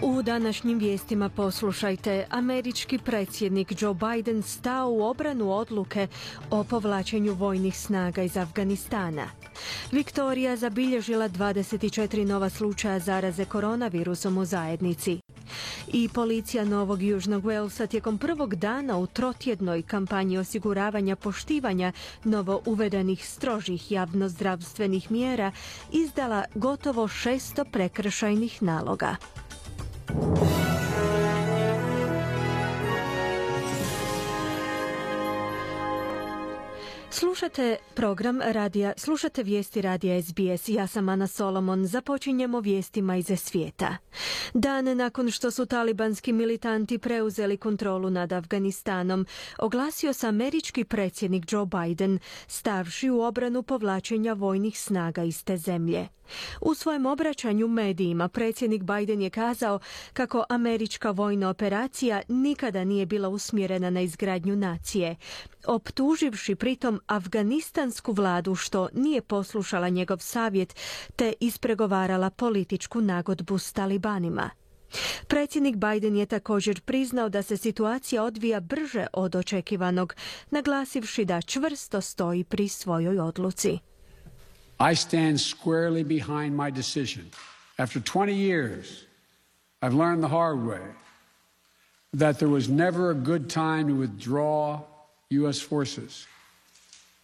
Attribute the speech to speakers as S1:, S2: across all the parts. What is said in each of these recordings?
S1: U današnjim vijestima poslušajte, američki predsjednik Joe Biden stao u obranu odluke o povlačenju vojnih snaga iz Afganistana. Viktorija zabilježila 24 nova slučaja zaraze koronavirusom u zajednici. I policija Novog Južnog Walesa tijekom prvog dana u trotjednoj kampanji osiguravanja poštivanja novo uvedenih strožih javnozdravstvenih mjera izdala gotovo 600 prekršajnih naloga. Slušate vijesti radija SBS. Ja sam Ana Solomon. Započinjemo vijestima iz svijeta. Dan nakon što su talibanski militanti preuzeli kontrolu nad Afganistanom, oglasio se američki predsjednik Joe Biden, stavši u obranu povlačenja vojnih snaga iz te zemlje. U svojem obraćanju medijima predsjednik Biden je kazao kako američka vojna operacija nikada nije bila usmjerena na izgradnju nacije, optuživši pritom afganistansku vladu što nije poslušala njegov savjet te ispregovarala političku nagodbu s talibanima. Predsjednik Biden je također priznao da se situacija odvija brže od očekivanog, naglasivši da čvrsto stoji pri svojoj odluci.
S2: I stand squarely behind my decision. After 20 years, I've learned the hard way that there was never a good time to withdraw U.S. forces.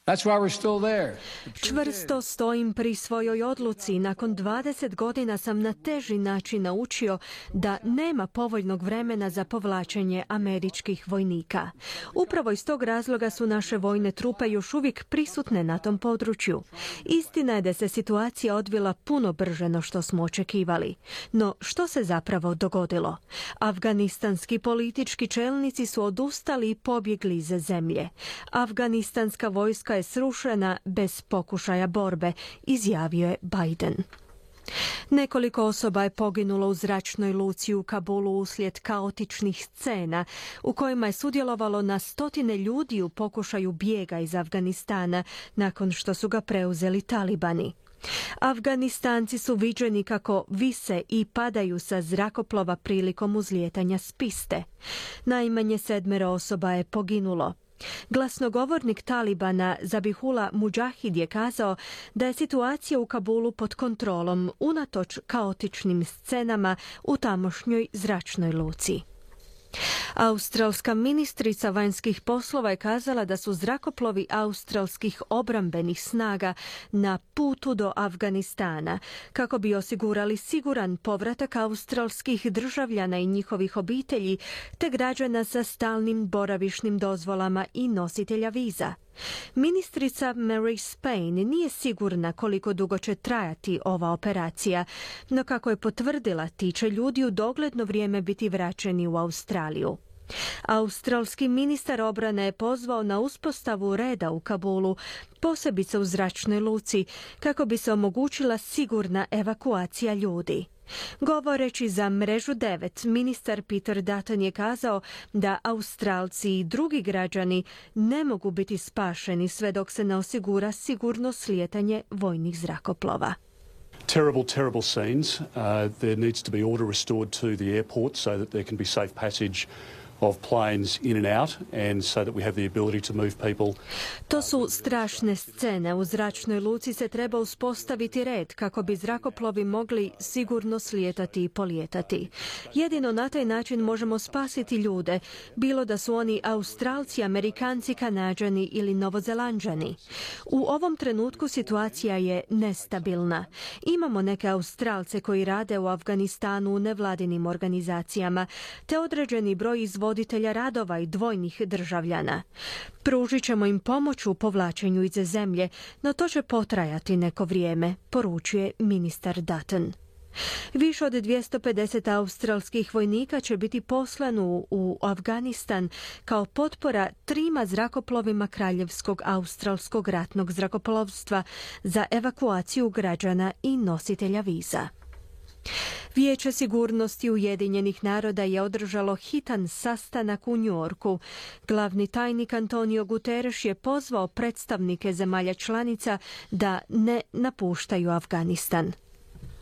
S2: That's why we're still there.
S1: Čvrsto stojim pri svojoj odluci. Nakon 20 godina sam na teži način naučio da nema povoljnog vremena za povlačenje američkih vojnika. Upravo iz tog razloga su naše vojne trupe još uvijek prisutne na tom području. Istina je da se situacija odvila puno brže no što smo očekivali. No što se zapravo dogodilo? Afganistanski politički čelnici su odustali i pobjegli iz zemlje. Afganistanska vojska je srušena bez pokušaja borbe, izjavio je Biden. Nekoliko osoba je poginulo u zračnoj luci u Kabulu uslijed kaotičnih scena u kojima je sudjelovalo na stotine ljudi u pokušaju bijega iz Afganistana nakon što su ga preuzeli talibani. Afganistanci su viđeni kako vise i padaju sa zrakoplova prilikom uzlijetanja s piste. Najmanje 7 osoba je poginulo. Glasnogovornik Talibana Zabihullah Mujahid je kazao da je situacija u Kabulu pod kontrolom unatoč kaotičnim scenama u tamošnjoj zračnoj luci. Australska ministrica vanjskih poslova je kazala da su zrakoplovi australskih obrambenih snaga na putu do Afganistana kako bi osigurali siguran povratak australskih državljana i njihovih obitelji te građana sa stalnim boravišnim dozvolama i nositelja viza. Ministrica Mary Spain nije sigurna koliko dugo će trajati ova operacija, no kako je potvrdila, ti će ljudi u dogledno vrijeme biti vraćeni u Australiju. Australski ministar obrane je pozvao na uspostavu reda u Kabulu, posebice u zračnoj luci, kako bi se omogućila sigurna evakuacija ljudi. Govoreći za Mrežu 9, ministar Peter Dutton je kazao da Australci i drugi građani ne mogu biti spašeni sve dok se ne osigura sigurno slijetanje vojnih zrakoplova.
S3: Terrible scenes. There needs to be order restored to the airport so that there can be safe passage of planes in and out and so that we have the ability to move people.
S1: To su strašne scene. U zračnoj luci se treba uspostaviti red kako bi zrakoplovi mogli sigurno slijetati i polijetati. Jedino na taj način možemo spasiti ljude, bilo da su oni Australci, Amerikanci, Kanađani ili Novozelanđani. U ovom trenutku situacija je nestabilna. Imamo neke Australce koji rade u Afganistanu u nevladinim organizacijama, te određeni broj izvoditelja radova i dvojnih državljana. Pružit ćemo im pomoć u povlačenju iz zemlje, no to će potrajati neko vrijeme, poručuje ministar Dutton. Više od 250 australskih vojnika će biti poslano u Afganistan kao potpora 3 zrakoplovima Kraljevskog australskog ratnog zrakoplovstva za evakuaciju građana i nositelja viza. Vijeće sigurnosti Ujedinjenih naroda je održalo hitan sastanak u New Yorku. Glavni tajnik Antonio Guterres je pozvao predstavnike zemalja članica da ne napuštaju Afganistan.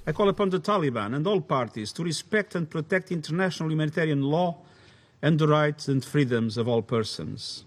S4: I call upon the Taliban and all parties to respect and protect international humanitarian law and the rights and freedoms of all persons.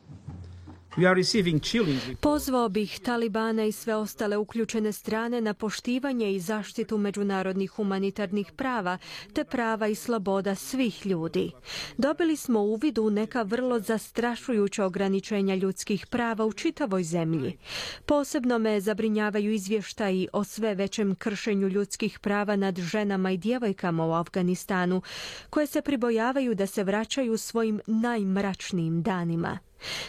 S1: Pozvao bih Talibana i sve ostale uključene strane na poštivanje i zaštitu međunarodnih humanitarnih prava te prava i sloboda svih ljudi. Dobili smo uvid u neka vrlo zastrašujuća ograničenja ljudskih prava u čitavoj zemlji. Posebno me zabrinjavaju izvještaji o sve većem kršenju ljudskih prava nad ženama i djevojkama u Afganistanu, koje se pribojavaju da se vraćaju svojim najmračnijim danima.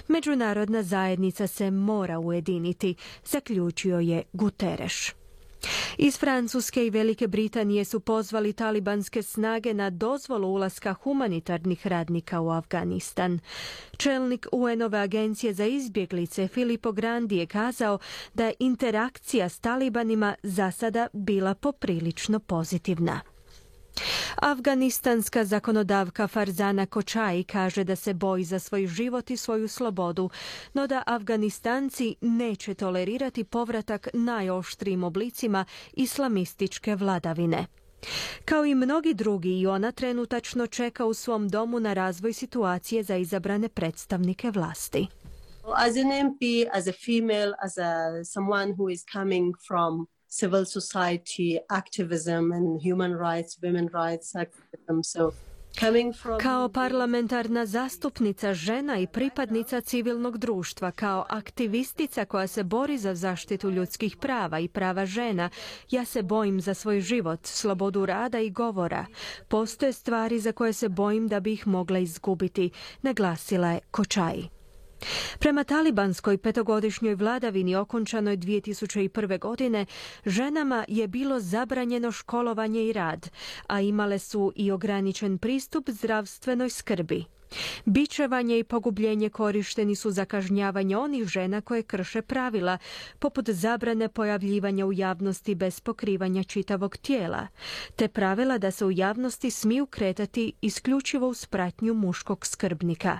S1: Međunarodna zajednica se mora ujediniti, zaključio je Guterres. Iz Francuske i Velike Britanije su pozvali talibanske snage na dozvolu ulaska humanitarnih radnika u Afganistan. Čelnik UN-ove agencije za izbjeglice Filippo Grandi je kazao da je interakcija s talibanima za sada bila poprilično pozitivna. Afganistanska zakonodavka Farzana Kočai kaže da se boji za svoj život i svoju slobodu, no da Afganistanci neće tolerirati povratak najoštrijim oblicima islamističke vladavine. Kao i mnogi drugi, i ona trenutačno čeka u svom domu na razvoj situacije za izabrane predstavnike vlasti.
S5: As an MP, as a female, someone who is coming from civil society activism and human rights, women rights activism.
S1: Kao parlamentarna zastupnica, žena i pripadnica civilnog društva, kao aktivistica koja se bori za zaštitu ljudskih prava i prava žena, ja se bojim za svoj život, slobodu rada i govora. Postoje stvari za koje se bojim da bi ih mogla izgubiti, naglasila je Kočai. Prema talibanskoj petogodišnjoj vladavini okončanoj 2001. godine, ženama je bilo zabranjeno školovanje i rad, a imale su i ograničen pristup zdravstvenoj skrbi. Bičevanje i pogubljenje korišteni su za kažnjavanje onih žena koje krše pravila, poput zabrane pojavljivanja u javnosti bez pokrivanja čitavog tijela, te pravila da se u javnosti smiju kretati isključivo uz pratnju muškog skrbnika.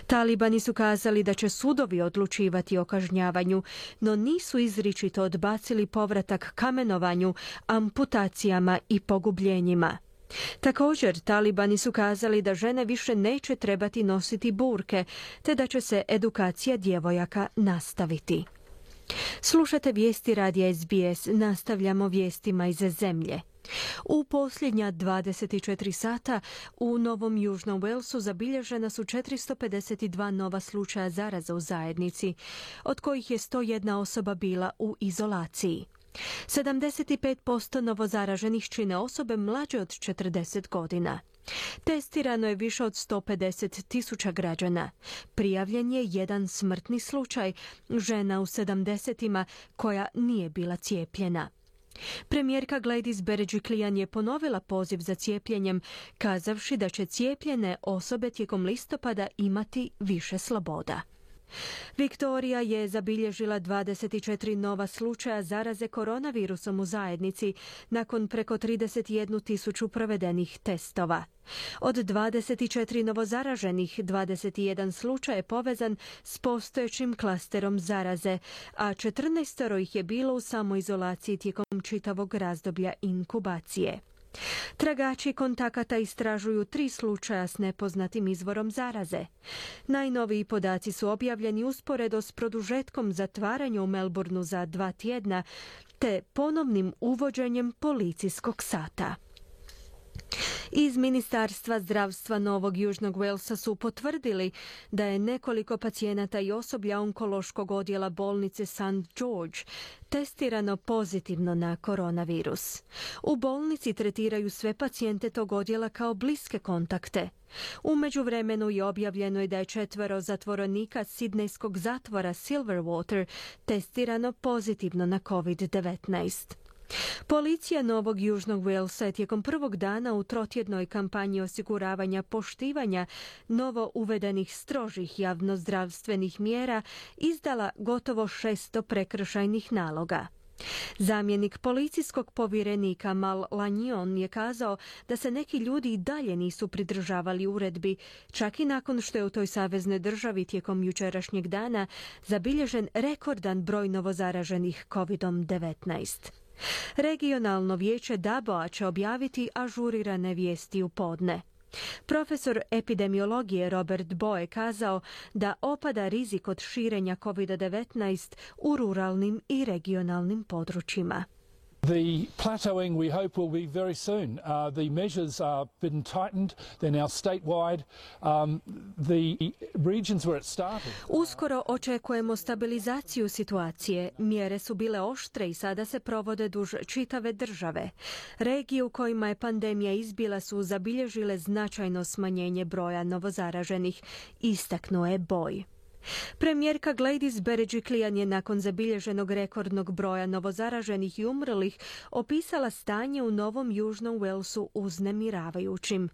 S1: Talibani su kazali da će sudovi odlučivati o kažnjavanju, no nisu izričito odbacili povratak kamenovanju, amputacijama i pogubljenjima. Također, talibani su kazali da žene više neće trebati nositi burke, te da će se edukacija djevojaka nastaviti. Slušate vijesti radija SBS, nastavljamo vijestima iz zemlje. U posljednja 24 sata u Novom Južnom Walesu zabilježena su 452 nova slučaja zaraza u zajednici, od kojih je 101 osoba bila u izolaciji. 75% novozaraženih čine osobe mlađe od 40 godina. Testirano je više od 150.000 građana. Prijavljen je jedan smrtni slučaj, žena u 70-ima koja nije bila cijepljena. Premijerka Gladys Berejiklian je ponovila poziv za cijepljenjem, kazavši da će cijepljene osobe tijekom listopada imati više sloboda. Viktorija je zabilježila 24 nova slučaja zaraze koronavirusom u zajednici nakon preko 31.000 provedenih testova. Od 24 novozaraženih, 21 slučaj je povezan s postojećim klasterom zaraze, a 14 ih je bilo u samoizolaciji tijekom čitavog razdoblja inkubacije. Tragači kontakata istražuju 3 slučaja s nepoznatim izvorom zaraze. Najnoviji podaci su objavljeni usporedo s produžetkom zatvaranja u Melbourneu za 2 tjedna te ponovnim uvođenjem policijskog sata. Iz Ministarstva zdravstva Novog Južnog Walesa su potvrdili da je nekoliko pacijenata i osoblja onkološkog odjela bolnice St. George testirano pozitivno na koronavirus. U bolnici tretiraju sve pacijente tog odjela kao bliske kontakte. U međuvremenu je objavljeno da je 4 zatvorenika sidnejskog zatvora Silverwater testirano pozitivno na COVID-19. Policija Novog Južnog Walesa je tijekom prvog dana u trotjednoj kampanji osiguravanja poštivanja novo uvedenih strožih javnozdravstvenih mjera izdala gotovo 600 prekršajnih naloga. Zamjenik policijskog povjerenika Mal Lanyon je kazao da se neki ljudi i dalje nisu pridržavali uredbi, čak i nakon što je u toj saveznoj državi tijekom jučerašnjeg dana zabilježen rekordan broj novozaraženih COVID-19. Regionalno vijeće DABO-a će objaviti ažurirane vijesti u podne. Profesor epidemiologije Robert Boe kazao da opada rizik od širenja COVID-19 u ruralnim i regionalnim područjima.
S6: The plateauing we hope will be very soon. The measures are been tightened. They're now statewide. The regions where it started.
S1: Uskoro očekujemo stabilizaciju situacije. Mjere su bile oštre i sada se provode duž čitave države. Regije u kojima je pandemija izbila su zabilježile značajno smanjenje broja novozaraženih, istaknuo je Boy. Premijerka Gladys Berejiklian je nakon zabilježenog rekordnog broja novozaraženih i umrlih opisala stanje u Novom Južnom Walesu uznemiravajućim.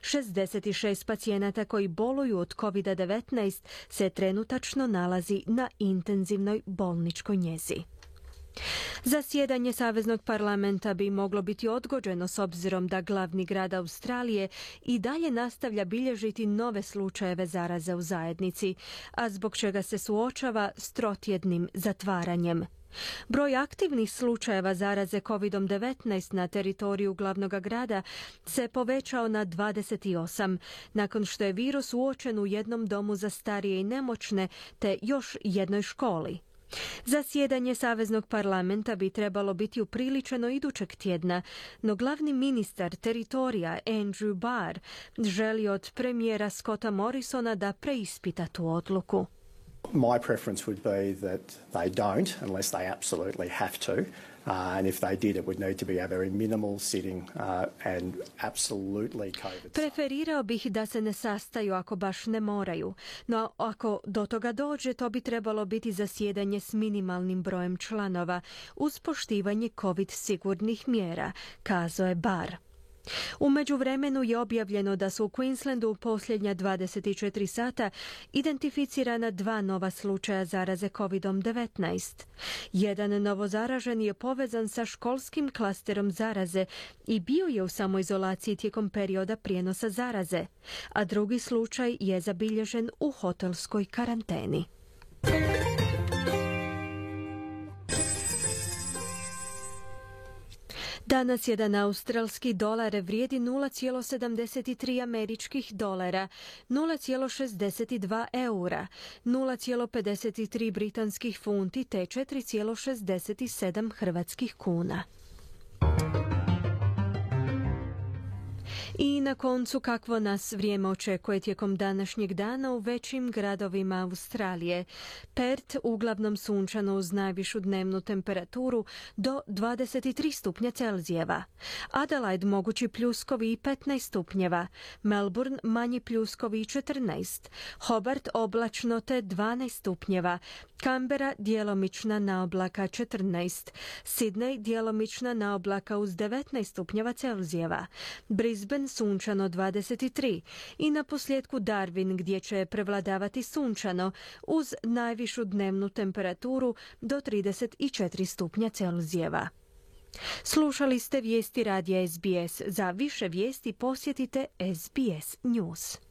S1: 66 pacijenata koji boluju od COVID-19 se trenutačno nalazi na intenzivnoj bolničkoj njezi. Zasjedanje Saveznog parlamenta bi moglo biti odgođeno s obzirom da glavni grad Australije i dalje nastavlja bilježiti nove slučajeve zaraze u zajednici, a zbog čega se suočava s trotjednim zatvaranjem. Broj aktivnih slučajeva zaraze COVID-19 na teritoriju glavnog grada se povećao na 28, nakon što je virus uočen u jednom domu za starije i nemoćne te još jednoj školi. Zasjedanje Saveznog parlamenta bi trebalo biti upriličeno idućeg tjedna, no glavni ministar teritorija Andrew Barr želi od premijera Scotta Morrisona da preispita tu odluku.
S7: My preference would be that they don't unless they absolutely have to. And if they did, it would need to be a very minimal sitting and absolutely COVID.
S1: Preferirao bih da se ne sastaju ako baš ne moraju, no ako do toga dođe, to bi trebalo biti zasjedanje s minimalnim brojem članova uz poštivanje COVID sigurnih mjera, kazao je Barr. U međuvremenu je objavljeno da su u Queenslandu u posljednja 24 sata identificirana 2 nova slučaja zaraze COVID-19. Jedan novozaražen je povezan sa školskim klasterom zaraze i bio je u samoizolaciji tijekom perioda prijenosa zaraze, a drugi slučaj je zabilježen u hotelskoj karanteni. Danas jedan australski dolar vrijedi 0,73 američkih dolara, 0,62 eura, 0,53 britanskih funti te 4,67 hrvatskih kuna. I na koncu kakvo nas vrijeme očekuje tijekom današnjeg dana u većim gradovima Australije. Perth uglavnom sunčano uz najvišu dnevnu temperaturu do 23 stupnja Celzijeva. Adelaide mogući pljuskovi i 15 stupnjeva. Melbourne manji pljuskovi i 14. Hobart oblačno te 12 stupnjeva. Canberra djelomična naoblaka 14. Sydney djelomična naoblaka uz 19 stupnjeva Celzijeva. Brisbane sunčano 23 i na posljedku Darwin gdje će prevladavati sunčano uz najvišu dnevnu temperaturu do 34 stupnja Celzijeva. Slušali ste vijesti radija SBS. Za više vijesti posjetite SBS News.